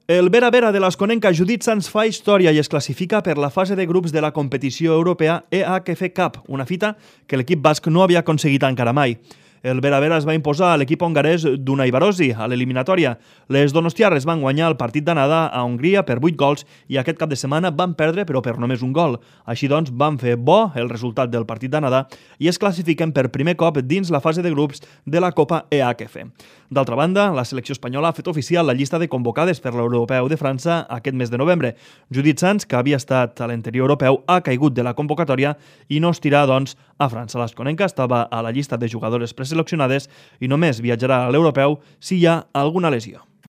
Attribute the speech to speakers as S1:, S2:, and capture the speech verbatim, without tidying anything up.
S1: El Vera Vera de l'Asconenca Judit Sans fa història i es classifica per la fase de grups de la competició europea E H F Cup, una fita que l'equip basc no havia aconseguit encara mai. El Vera Vera es va imposar a l'equip hongarès d'Unai Barosi a l'eliminatòria. Les donostiarres van guanyar el partit d'anada a Hongria per vuit gols i aquest cap de setmana van perdre però per només un gol. Així doncs van fer bo el resultat del partit d'anada i es classifiquen per primer cop dins la fase de grups de la Copa E H F. D'altra banda, la selecció espanyola ha fet oficial la llista de convocades per l'Europeu de França aquest mes de novembre. Judit Sans, que havia estat a l'anterior europeu, ha caigut de la convocatòria i no estirà, doncs, a França. L'Asconenca estava a la llista de jugadores preseleccionades i només viatjarà a l'europeu si hi ha alguna lesió.